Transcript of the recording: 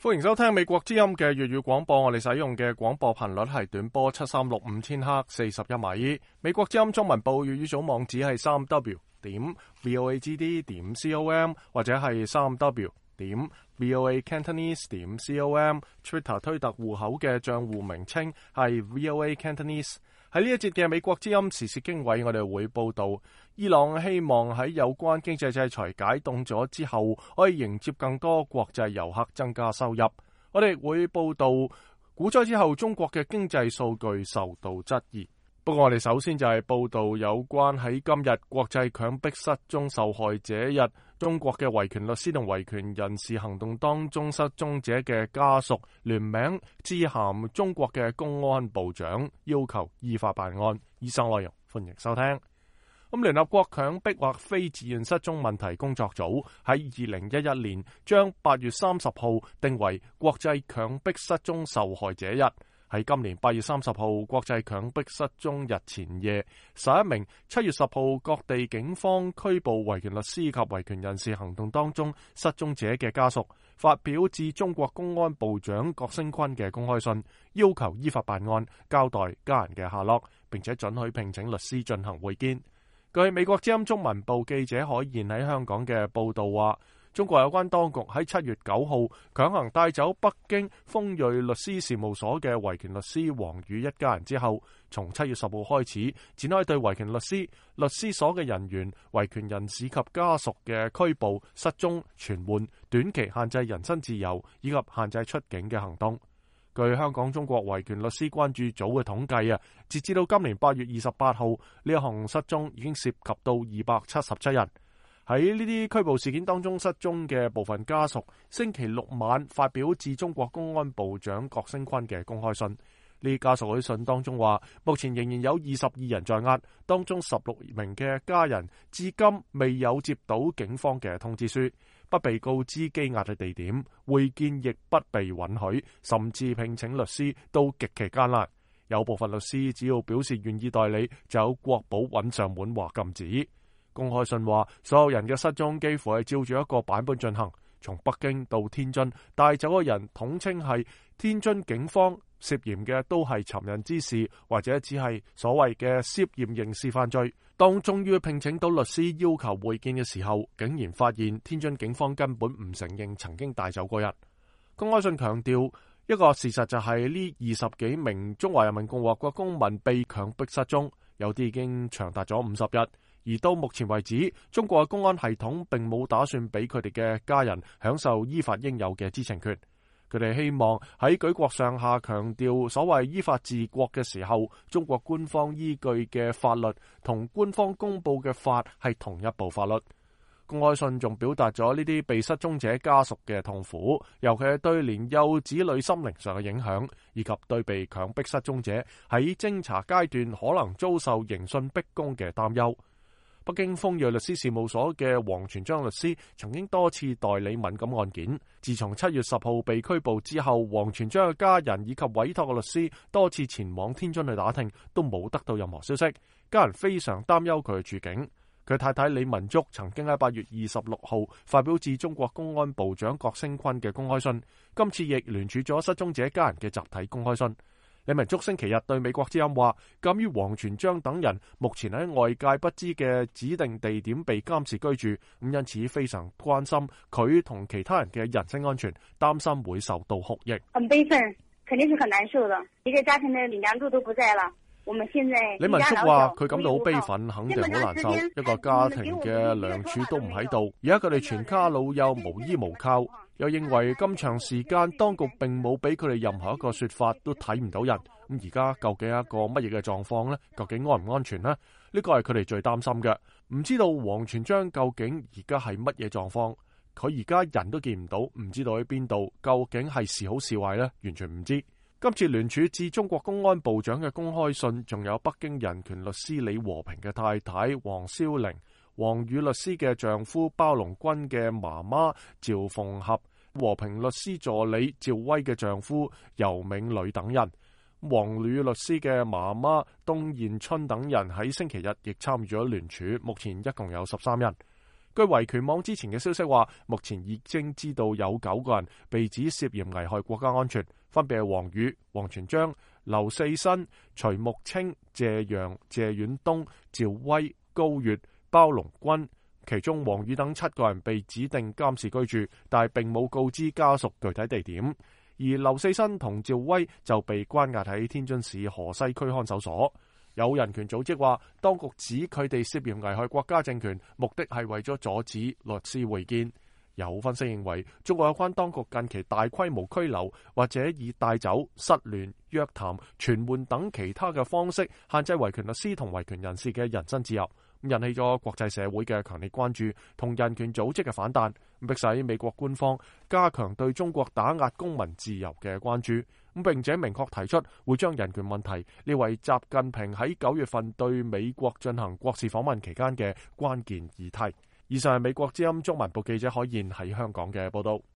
歡迎收聽美國之音嘅粵語廣播，我哋使用嘅廣播頻率係短波7365千赫41米。美國之音中文部粵語組網址係3w.voagd.com 或者係3w.voacantonese.com。 Twitter 推特戶口嘅賬戶名稱係 VOA Cantonese。喺呢一節嘅美國之音時事經緯，我哋會報道伊朗希望喺有關經濟制裁解凍咗之後，可以迎接更多國際遊客，增加收入。我哋會報道股災之後中國嘅經濟數據受到質疑。不過我哋首先就係報道有關喺今日國際強迫失蹤受害者日，中國嘅維權律師同維權人士行動當中失蹤者嘅家屬聯名致函中國嘅公安部長，要求依法辦案。以上內容歡迎收聽。聯合國強迫或非自願失蹤問題工作組喺2011年將8月30號定為國際強迫失蹤受害者日。喺今年8月30號國際強迫失蹤日前夜，11名7月10號各地警方拘捕維權律師及維權人士行動當中失蹤者嘅家屬，發表致中國公安部長郭聲琨嘅公開信，要求依法辦案，交代家人嘅下落，並且准許聘請律師進行會見。據美國之音中文部記者海燕喺香港嘅報道話，中國有關當局喺7月9號強行帶走北京豐瑞律師事務所嘅維權律師王宇一家人之後，從7月10號開始展開對維權律師、律師所嘅人員、維權人士及家屬嘅拘捕、失蹤、傳喚、短期限制人身自由以及限制出境嘅行動。據香港中國維權律師關注組嘅統計截至到今年8月28號，呢一項失蹤已經涉及到277人。喺呢啲拘捕事件當中失蹤嘅部分家屬，星期六晚發表致中國公安部長郭聲琨嘅公開信。呢家屬喺信當中話，目前仍然有22人在押，當中16名嘅家人至今未有接到警方嘅通知書，不被告知羈押嘅地點，會見亦不被允許，甚至聘請律師都極其艱難。有部分律師只要表示願意代理，就有國保揾上門話禁止。公開信話，所有人嘅失蹤幾乎係照住一個版本進行，從北京到天津帶走嘅人統稱係天津警方，涉嫌嘅都係尋釁滋事或者只係所謂嘅涉嫌刑事犯罪。當終於聘請到律師要求會見嘅時候，竟然發現天津警方根本唔承認曾經帶走過人。公開信強調一個事實就係呢20幾名中華人民共和國公民被強迫失蹤，有啲已經長達咗50日。而到目前為止，中國嘅公安系統並冇打算俾佢哋嘅家人享受依法應有嘅知情權。佢哋希望喺舉國上下強調所謂依法治國嘅時候，中國官方依據嘅法律同官方公佈嘅法係同一部法律。公開信仲表達咗呢啲被失蹤者家屬嘅痛苦，尤其係對年幼子女心靈上嘅影響，以及對被強迫失蹤者喺偵查階段可能遭受刑訊逼供嘅擔憂。北京豐瑞律師事務所嘅王全璋律師曾經多次代理敏感案件。自從7月10號被拘捕之後，王全璋嘅家人以及委託嘅律師多次前往天津去打聽，都冇得到任何消息。家人非常擔憂佢嘅處境。佢太太李文竹曾經喺8月26號發表致中國公安部長郭聲琨嘅公開信，今次亦聯署咗失蹤者家人嘅集體公開信。李文竹星期日對美國之音話，鑒於王全璋等人目前喺外界不知嘅指定地點被監視居住，因此非常關心佢同其他人嘅人身安全，擔心會受到酷刑。很悲憤，肯定是很難受的。一個家庭的梁柱都不在了，我們現在李文竹話佢感到好悲憤，肯定好難受。一個家庭嘅梁柱都唔喺度，而家佢哋全家老幼無依無靠。又認為咁長時間當局並冇俾佢哋任何一個說法，都睇唔到人。咁而家究竟係一個乜嘢嘅狀況呢？究竟安唔安全呢？呢個係佢哋最擔心嘅。唔知道王全璋究竟而家係乜嘢狀況？佢而家人都見唔到，唔知道喺邊度，究竟係是好是壞呢？完全唔知。今次聯署致中國公安部長嘅公開信，仲有北京人權律師李和平嘅太太王蕭玲、王宇律師嘅丈夫包龍軍嘅媽媽趙鳳合、和平律師助理趙威嘅丈夫尤銘磊等人，王宇律師嘅媽媽東彥春等人喺星期日亦參與咗聯署，目前一共有13人。據維權網之前嘅消息話，目前已經知道有9個人被指涉嫌危害國家安全，分別係王宇、王全璋、劉四新、徐木清、謝陽、謝遠東、趙威、高月、包龍軍。其中王宇等7個人被指定監視居住，但係並冇告知家屬具體地點。而劉四新同趙威就被關押喺天津市河西區看守所。有人權組織話，當局指佢哋涉嫌危害國家政權，目的係為咗阻止律師會見。有分析認為，中國有關當局近期大規模拘留或者以帶走、失聯、約談、傳喚等其他嘅方式限制維權律師同維權人士嘅人身自由，引起咗國際社會嘅強烈關注同人權組織嘅反彈，迫使美國官方加強對中國打壓公民自由嘅關注，並且明確提出會將人權問題列為習近平喺9月份對美國進行國事訪問期間嘅關鍵議題。以上係美國之音中文部記者海燕喺香港嘅報道。